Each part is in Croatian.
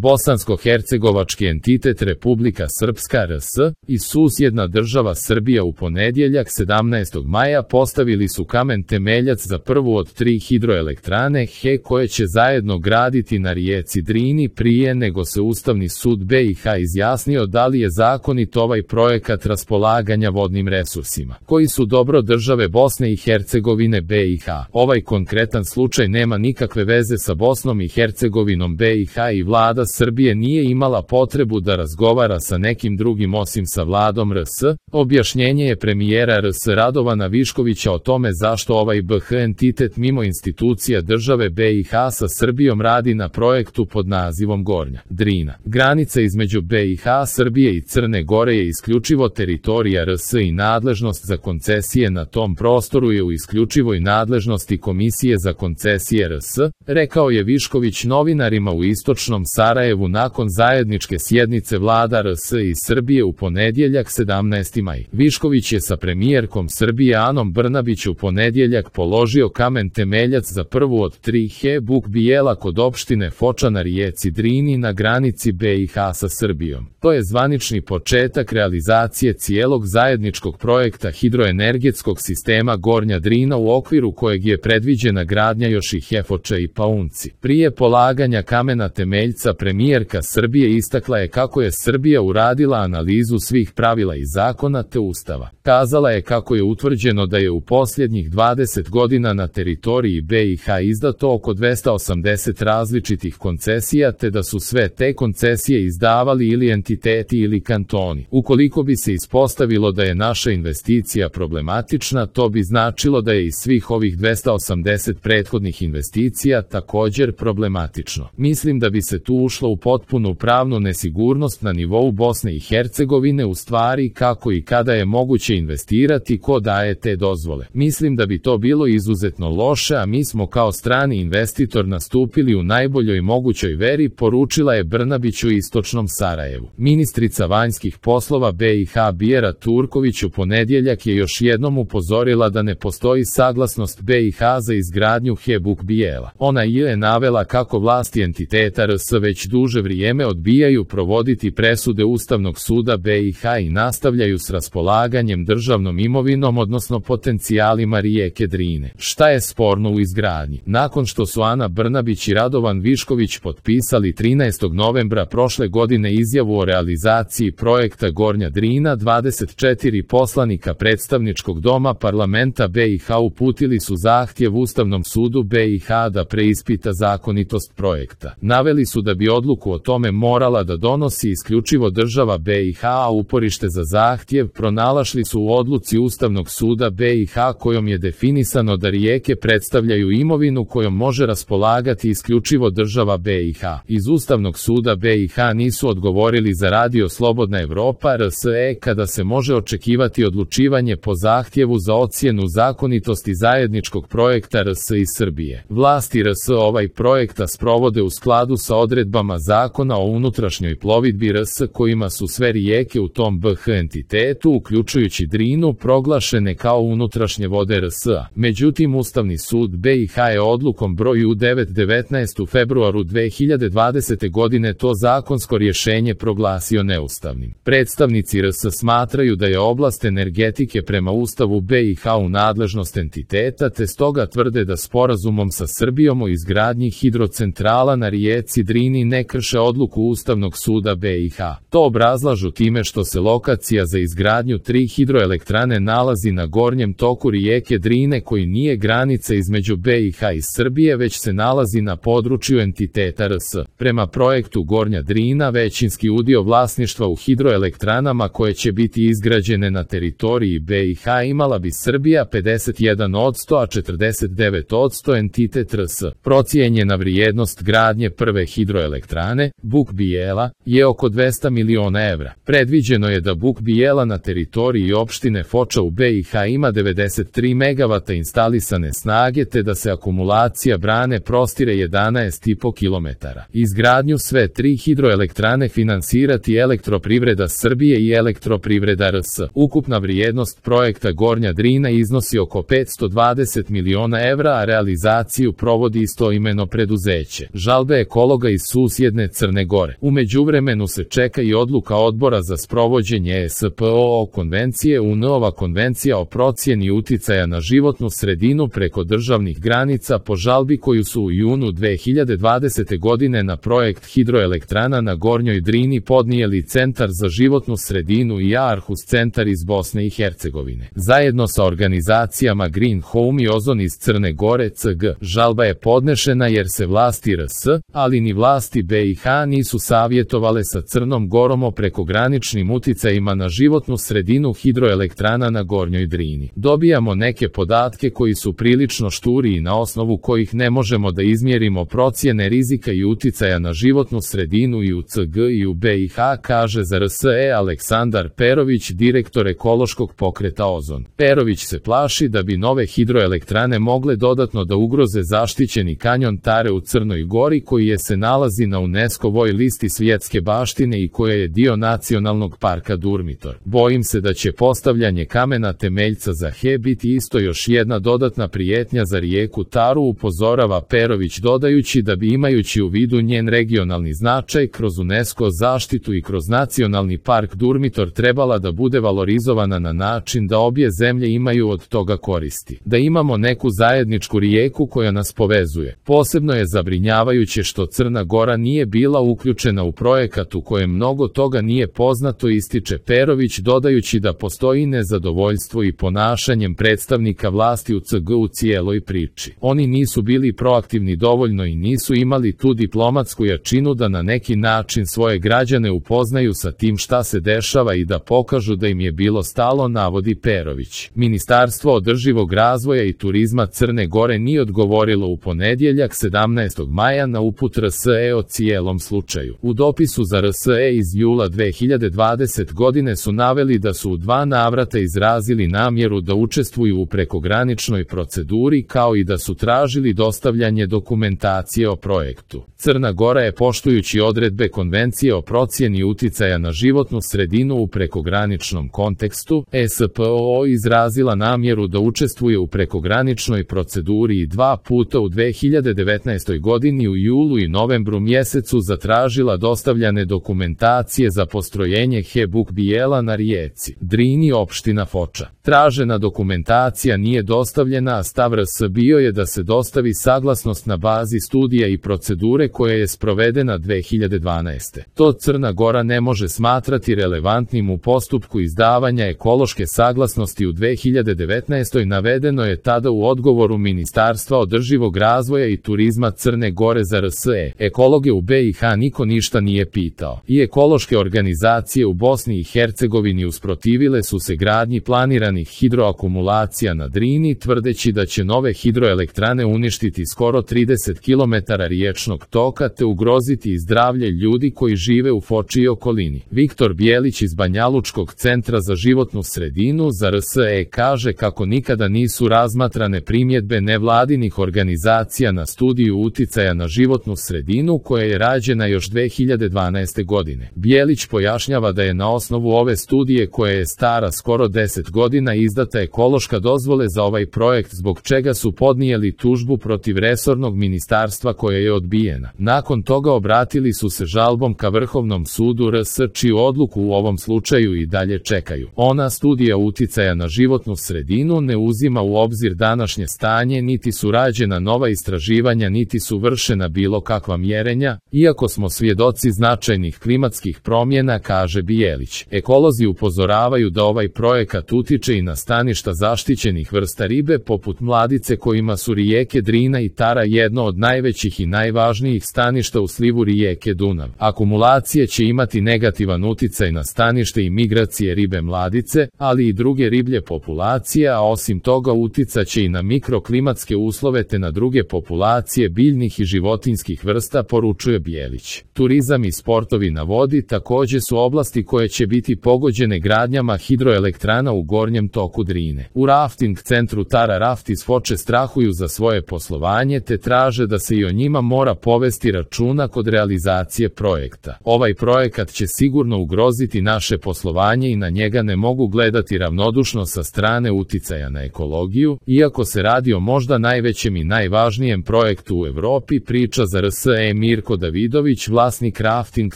Bosansko-hercegovački entitet Republika Srpska RS i susjedna država Srbija u ponedjeljak 17. maja postavili su kamen temeljac za prvu od 3 hidroelektrane HE koje će zajedno graditi na rijeci Drini prije nego se Ustavni sud BiH izjasnio da li je zakonit ovaj projekat raspolaganja vodnim resursima, koji su dobro države Bosne i Hercegovine BiH. Ovaj konkretan slučaj nema nikakve veze sa Bosnom i Hercegovinom BiH i vlada Srbije nije imala potrebu da razgovara sa nekim drugim osim sa vladom RS. Objašnjenje je premijera RS Radovana Viškovića o tome zašto ovaj BH entitet mimo institucija države BiH sa Srbijom radi na projektu pod nazivom Gornja Drina. Granica između BiH, Srbije i Crne Gore je isključivo teritorija RS i nadležnost za koncesije na tom prostoru je u isključivoj nadležnosti Komisije za koncesije RS, rekao je Višković novinarima u istočnom Sarajevu nakon zajedničke sjednice vlada RS i Srbije u ponedjeljak 17. maj. Višković je sa premijerkom Srbije Anom Brnabić u ponedjeljak položio kamen temeljac za prvu od 3 HE Buk Bijela kod opštine Foča na rijeci Drini na granici BiH sa Srbijom. To je zvanični početak realizacije cijelog zajedničkog projekta hidroenergetskog sistema Gornja Drina u okviru kojeg je predviđena gradnja još i Foča i Paunci. Prije polaganja kamena temeljca premijerka Srbije istakla je kako je Srbija uradila analizu svih pravila i zakona te Ustava. Kazala je kako je utvrđeno da je u posljednjih 20 godina na teritoriji BiH izdato oko 280 različitih koncesija te da su sve te koncesije izdavali ili entiteti ili kantoni. Ukoliko bi se ispostavilo da je naša investicija problematična, to bi značilo da je iz svih ovih 280 prethodnih investicija također problematično. Mislim da bi se tu ušlo u potpunu pravnu nesigurnost na nivou Bosne i Hercegovine u stvari kako i kada je moguće investirati, ko daje te dozvole. Mislim da bi to bilo izuzetno loše, a mi smo kao strani investitor nastupili u najboljoj mogućoj veri, poručila je Brnabić u istočnom Sarajevu. Ministrica vanjskih poslova BiH Bijera Turković u ponedjeljak je još jednom upozorila da ne postoji saglasnost BiH za izgradnju HE Buk Bijela. Ona je navela kako vlasti entiteta RS već duže vrijeme odbijaju provoditi presude Ustavnog suda BiH i nastavljaju s raspolaganjem državnom imovinom odnosno potencijalima rijeke Drine. Šta je sporno u izgradnji? Nakon što su Ana Brnabić i Radovan Višković potpisali 13. novembra prošle godine izjavu o realizaciji projekta Gornja Drina, 24 poslanika predstavničkog doma parlamenta BiH uputili su zahtjev Ustavnom sudu BiH da preispita zakonitost projekta. Naveli su da bi odluku o tome morala da donosi isključivo država BiH, a uporište za zahtjev pronašli su u odluci Ustavnog suda BiH kojom je definisano da rijeke predstavljaju imovinu kojom može raspolagati isključivo država BiH. Iz Ustavnog suda BiH nisu odgovorili za Radio Slobodna Evropa RSE kada se može očekivati odlučivanje po zahtjevu za ocjenu zakonitosti zajedničkog projekta RS i Srbije. Vlasti RS ovaj projekta sprovode u skladu sa odredbama Zakona o unutrašnjoj plovidbi RS kojima su sve rijeke u tom BH entitetu, uključujući Drinu, proglašene kao unutrašnje vode RS-a. Međutim, Ustavni sud BiH je odlukom broju 9/19 u februaru 2020. godine to zakonsko rješenje proglasio neustavnim. Predstavnici RS smatraju da je oblast energetike prema Ustavu BiH u nadležnost entiteta te stoga tvrde da sporazumom sa Srbijom o izgradnji hidrocentrala na rijeci Drini ne krše odluku Ustavnog suda BiH. To obrazlažu time što se lokacija za izgradnju 3 hidroelektrane nalazi na gornjem toku rijeke Drine koji nije granica između BiH i Srbije već se nalazi na području entiteta RS. Prema projektu Gornja Drina većinski udio vlasništva u hidroelektranama koje će biti izgrađene na teritoriji BiH imala bi Srbija 51%, a 49% entitet RS. Procijenjena vrijednost gradnje prve hidroelektrane, Buk Bijela, je oko 200 miliona evra. Predviđeno je da Buk Bijela na teritoriji opštine Foča u BiH ima 93 MW instalisane snage te da se akumulacija brane prostire 11,5 km. Izgradnju sve 3 hidroelektrane finansirati Elektroprivreda Srbije i Elektroprivreda RS. Ukupna vrijednost projekta Gornja Drina iznosi oko 520 miliona evra, a realizaciju provodi istoimeno preduzeće. Žalbe ekologa iz susjedne Crne Gore. U međuvremenu se čeka i odluka Odbora za sprovođenje SPO konvencije UN. Ova konvencija o procjeni uticaja na životnu sredinu preko državnih granica po žalbi koju su u junu 2020. godine na projekt hidroelektrana na Gornjoj Drini podnijeli Centar za životnu sredinu i Aarhus centar iz Bosne i Hercegovine. Zajedno sa organizacijama Green Home i Ozon iz Crne Gore CG. Žalba je podnešena jer se vlasti RS, ali ni vlasti BiH nisu savjetovale sa Crnom Gorom o prekograničnim uticajima na životnu sredinu hidroelektrana na Gornjoj Drini. Dobijamo neke podatke koji su prilično šturi i na osnovu kojih ne možemo da izmjerimo procjene rizika i uticaja na životnu sredinu i u CG i u BiH, kaže za RSE Aleksandar Perović, direktor ekološkog pokreta Ozon. Perović se plaši da bi nove hidroelektrane mogle dodatno da ugroze zaštićeni kanjon Tare u Crnoj Gori koji se nalazi na UNESCO-voj listi svjetske baštine i koja je dio nacionalnog parka Durmitor. Bojim se da će postavljanje kamena temeljca za HE biti isto još jedna dodatna prijetnja za rijeku Taru, upozorava Perović, dodajući da bi imajući u vidu njen regionalni značaj kroz UNESCO zaštitu i kroz nacionalni park Durmitor trebala da bude valorizovana na način da obje zemlje imaju od toga koristi. Da imamo neku zajedničku rijeku koja nas povezuje. Posebno je zabrinjavajuće što Crna Gora nije bila uključena u projekat u kojem mnogo toga nije poznato, ističe Perović, dodajući da postoji nezadovoljstvo i ponašanjem predstavnika vlasti u CG u cijeloj priči. Oni nisu bili proaktivni dovoljno i nisu imali tu diplomatsku jačinu da na neki način svoje građane upoznaju sa tim šta se dešava i da pokažu da im je bilo stalo, navodi Perović. Ministarstvo održivog razvoja i turizma Crne Gore nije odgovorilo u ponedjeljak 17. maja na uput RSE o cijelom slučaju. U dopisu za RSE iz jula 2020 godine su naveli da su u 2 navrata izrazili namjeru da učestvuju u prekograničnoj proceduri kao i da su tražili dostavljanje dokumentacije o projektu. Crna Gora je, poštujući odredbe Konvencije o procjeni uticaja na životnu sredinu u prekograničnom kontekstu, SPO, izrazila namjeru da učestvuje u prekograničnoj proceduri i 2 puta u 2019. godini u julu i novembru mjesecu zatražila dostavljane dokumentacije za postrojenje HE Buk Bijela na rijeci Drini, opština Foča. Tražena dokumentacija nije dostavljena, a stav RS bio je da se dostavi saglasnost na bazi studija i procedure koja je sprovedena 2012. To Crna Gora ne može smatrati relevantnim u postupku izdavanja ekološke saglasnosti u 2019. navedeno je tada u odgovoru Ministarstva održivog razvoja i turizma Crne Gore za RSE. Ekologe u BiH niko ništa nije pitao. I ekološke organizacije u Bosni i Hercegovini usprotivile su se gradnji planiranih hidroakumulacija na Drini, tvrdeći da će nove hidroelektrane uništiti skoro 30 km riječnog toka te ugroziti i zdravlje ljudi koji žive u Foči i okolini. Viktor Bijelić iz Banjalučkog centra za životnu sredinu za RSE kaže kako nikada nisu razmatrane primjedbe nevladinih organizacija na studiju uticaja na životnu sredinu koja je rađena još 2012. godine. Bijelić pojašnjava da je na osnovu ove studije koja je stara skoro 10 godina izdata ekološka dozvole za ovaj projekt, zbog čega su podnijeli tužbu protiv resornog ministarstva koja je odbijena. Nakon toga obratili su se žalbom ka Vrhovnom sudu RS, čiju odluku u ovom slučaju i dalje čekaju. Ona studija uticaja na životnu sredinu ne uzima u obzir današnje stanje, niti su rađena nova istraživanja, niti su vršena bilo kakva mjerenja, iako smo svjedoci značajnih klimatskih promjena, kaže Bijelić. Ekolozi upozoravaju da ovaj projekat utiče i na staništa zaštićenih vrsta ribe poput mladice kojima su rijeke Drina i Tara jedno od najvećih i najvažnijih staništa u slivu rijeke Dunav. Akumulacije će imati negativan uticaj na stanište i migracije ribe mladice, ali i druge riblje populacije, a osim toga uticaće i na mikroklimatske uslove te na druge populacije biljnih i životinjskih vrsta, poručuje Bijelić. Turizam i sportovi na vodi također su oblasti koje će biti pogođene gradnjama hidroelektrana u Gornjem donjem toku Drine. U rafting centru Tara Raft iz Foče strahuju za svoje poslovanje te traže da se i o njima mora povesti računa kod realizacije projekta. Ovaj projekat će sigurno ugroziti naše poslovanje i na njega ne mogu gledati ravnodušno sa strane uticaja na ekologiju, iako se radi o možda najvećem i najvažnijem projektu u Evropi, priča za RSE Mirko Davidović, vlasnik rafting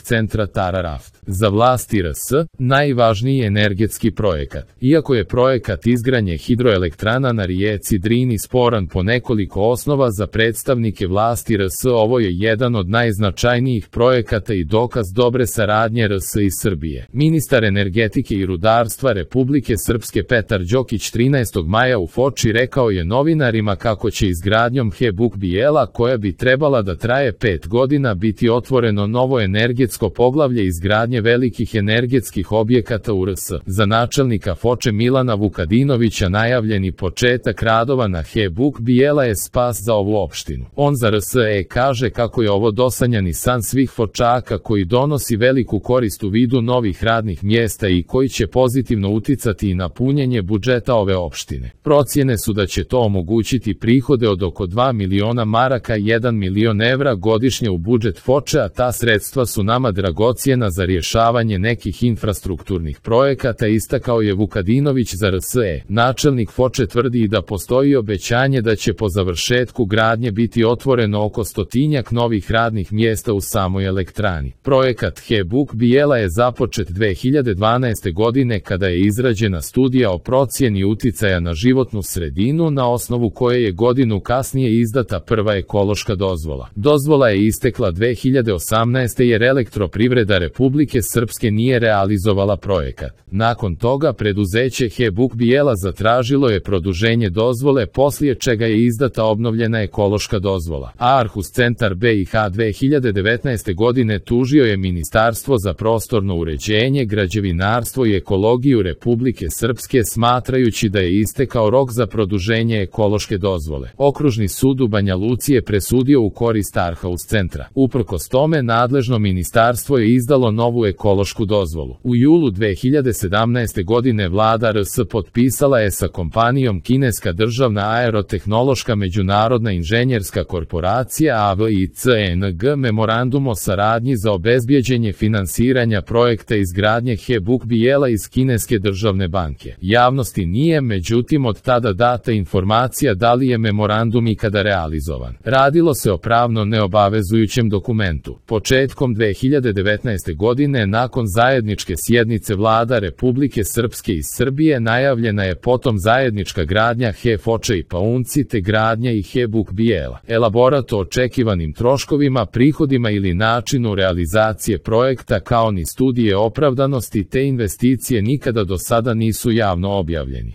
centra Tara Raft. Za vlasti RS, najvažniji energetski projekat. Iako je projekat izgradnje hidroelektrana na rijeci Drini sporan po nekoliko osnova za predstavnike vlasti RS, ovo je jedan od najznačajnijih projekata i dokaz dobre saradnje RS i Srbije. Ministar energetike i rudarstva Republike Srpske Petar Đokić 13. maja u Foči rekao je novinarima kako će izgradnjom HE Buk Bijela, koja bi trebala da traje 5 godina, biti otvoreno novo energetsko poglavlje izgradnje velikih energetskih objekata u RS. Za načelnika Foče Milana Vukadinovića najavljeni početak radova na HE Buk Bijela je spas za ovu opštinu. On za RSE kaže kako je ovo dosanjani san svih Fočaka koji donosi veliku korist u vidu novih radnih mjesta i koji će pozitivno uticati i na punjenje budžeta ove opštine. Procjene su da će to omogućiti prihode od oko 2 miliona maraka i 1 milion evra godišnje u budžet Foče, a ta sredstva su nama dragocjena za rješavanje nekih infrastrukturnih projekata, istakao je Vukadinović za RSE. Načelnik Foče tvrdi i da postoji obećanje da će po završetku gradnje biti otvoreno oko 100-tinjak novih radnih mjesta u samoj elektrani. Projekat HE Buk Bijela je započet 2012. godine kada je izrađena studija o procjeni uticaja na životnu sredinu, na osnovu koje je godinu kasnije izdata prva ekološka dozvola. Dozvola je istekla 2018. jer Elektroprivreda Republike Srpske nije realizovala projekat. Nakon toga preduzeće HE Buk Bijela zatražilo je produženje dozvole, poslije čega je izdata obnovljena ekološka dozvola. Aarhus centar BiH 2019. godine tužio je Ministarstvo za prostorno uređenje, građevinarstvo i ekologiju Republike Srpske smatrajući da je istekao rok za produženje ekološke dozvole. Okružni sud u Banja Luci je presudio u korist Aarhus centra. Uprkos tome, nadležno ministarstvo je izdalo novu ekološku dozvolu. U julu 2017. godine vlada RS potpisala je sa kompanijom kineska državna aerotehnološka međunarodna inženjerska korporacija AVICNG memorandum o saradnji za obezbjeđenje finansiranja projekta izgradnje HE Buk Bijela iz kineske državne banke. Javnosti nije međutim od tada data informacija da li je memorandum ikada realizovan. Radilo se o pravno neobavezujućem dokumentu. Početkom 2019. godine, nakon zajedničke sjednice vlada Republike Srpske i Srbije, najavljena je potom zajednička gradnja HE Foče i Paunci te gradnja i HE Buk Bijela. Elaborat o očekivanim troškovima, prihodima ili načinu realizacije projekta kao ni studije opravdanosti te investicije nikada do sada nisu javno objavljeni.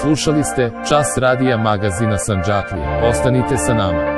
Slušali ste Čas radija magazina Sandžaklija. Ostanite sa nama.